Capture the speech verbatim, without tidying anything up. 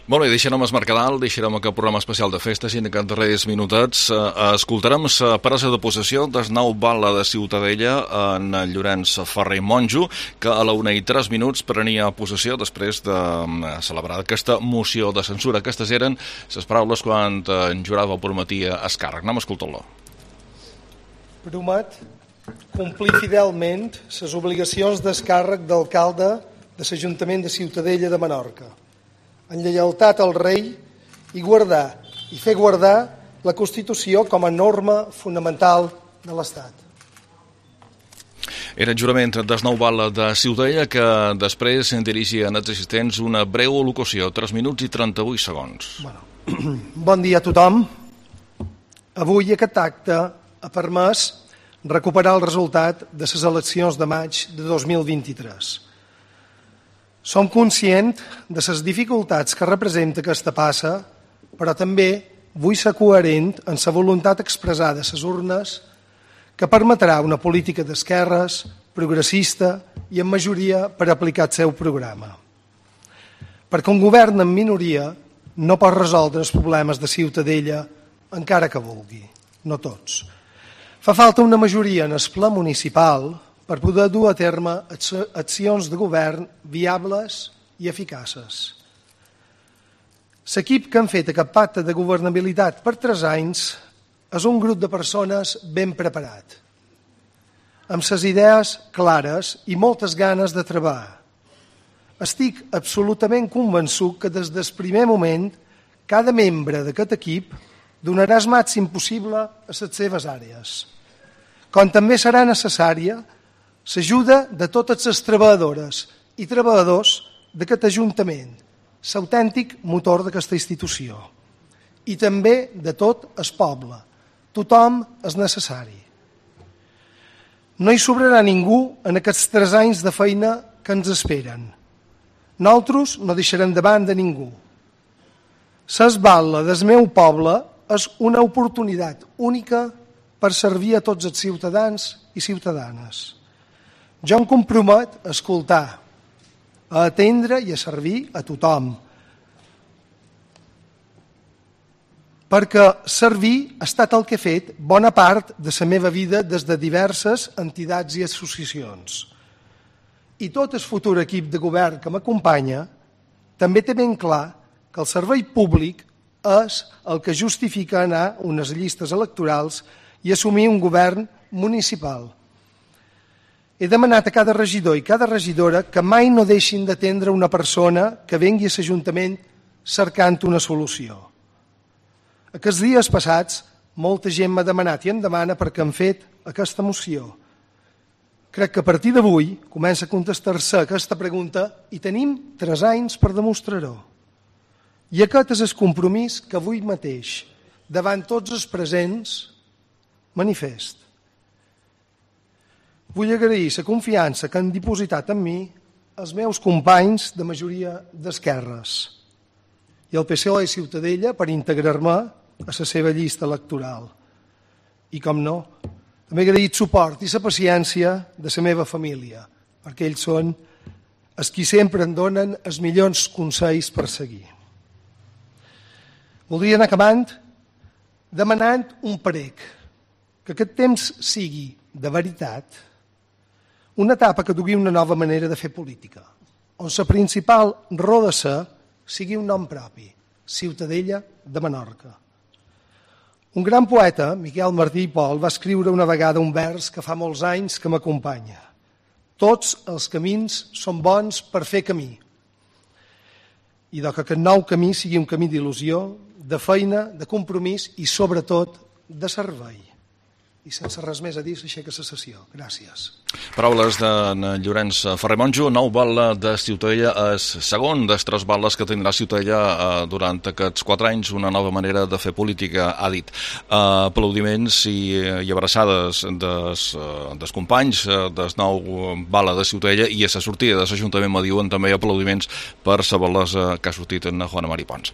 Molt bé, deixarem el Mercadal, deixarem aquest programa especial de festes i en aquests darrers minuts eh, escoltarem la presa de possessió del nou batlle de Ciutadella en Llorenç Ferrer Monjo, que a la una i tres minuts prenia possessió després de eh, celebrar aquesta moció de censura. Aquestes eren les paraules quan eh, en jurava prometia el càrrec. Anem a escoltar-lo. Promet complir fidelment les obligacions del càrrec d'alcalde de l'Ajuntament de Ciutadella de Menorca, en lleialtat al rei i guardar i fer guardar la Constitució com a norma fonamental de l'Estat. Era el jurament del nou batlle de Ciutadella que després dirigia als assistents una breu al·locució, tres minuts i trenta-vuit segons. Bueno, bon dia a tothom. Avui aquest acte ha permès recuperar el resultat de les eleccions de maig de dos mil vint-i-tres. Som conscients de les dificultats que representa aquesta passa, però també vull ser coherent en la voluntat expressada a les urnes que permetrà una política d'esquerres, progressista i en majoria per aplicar el seu programa. Perquè un govern en minoria no pot resoldre els problemes de Ciutadella encara que vulgui, no tots. Fa falta una majoria en el ple municipal per poder dur a terme accions de govern viables i eficaces. L'equip que han fet aquest pacte de governabilitat per tres anys és un grup de persones ben preparat, amb les idees clares i moltes ganes de treballar. Estic absolutament convençut que des del primer moment cada membre d'aquest equip donarà el màxim possible a les seves àrees, com també serà necessària l'ajuda de totes les treballadores i treballadors d'aquest Ajuntament, l'autèntic motor d'aquesta institució, i també de tot el poble. Tothom és necessari. No hi sobrarà ningú en aquests tres anys de feina que ens esperen. Nosaltres no deixarem de banda ningú. Ses batlle del meu poble és una oportunitat única per servir a tots els ciutadans i ciutadanes. Jo em compromet a escoltar, a atendre i a servir a tothom. Perquè servir ha estat el que he fet bona part de la meva vida des de diverses entitats i associacions. I tot el futur equip de govern que m'acompanya també té ben clar que el servei públic és el que justifica anar a unes llistes electorals i assumir un govern municipal. He demanat a cada regidor i cada regidora que mai no deixin d'atendre una persona que vengui a l'Ajuntament cercant una solució. Aquests dies passats, molta gent m'ha demanat i em demana per què hem fet aquesta moció. Crec que a partir d'avui comença a contestar-se aquesta pregunta i tenim tres anys per demostrar-ho. I aquest és el compromís que avui mateix, davant tots els presents, manifest. Vull agrair la confiança que han dipositat en mi els meus companys de majoria d'esquerres i el P S O E Ciutadella per integrar-me a la seva llista electoral. I, com no, també he agraït suport i la paciència de la meva família, perquè ells són els qui sempre em donen els millors consells per seguir. Voldria anar acabant demanant un prec, que aquest temps sigui, de veritat, una etapa que dugui una nova manera de fer política, on la principal raó de ser sigui un nom propi, Ciutadella de Menorca. Un gran poeta, Miquel Martí i Pol, va escriure una vegada un vers que fa molts anys que m'acompanya. Tots els camins són bons per fer camí. I que aquest nou camí sigui un camí d'il·lusió, de feina, de compromís i, sobretot, de servei. I sense res més a dir, s'aixeca la sessió. Gràcies. Paraules de Llorenç Ferrer Monjo, nou batlle de Ciutadella, és segon dels tres batlles que tindrà Ciutadella eh, durant aquests quatre anys, una nova manera de fer política, ha dit. Eh, aplaudiments i, i abraçades des, des companys eh, del nou batlle de Ciutadella, i a la sortida de l'Ajuntament me diuen també aplaudiments per la bellesa que ha sortit en Juana Mari Pons.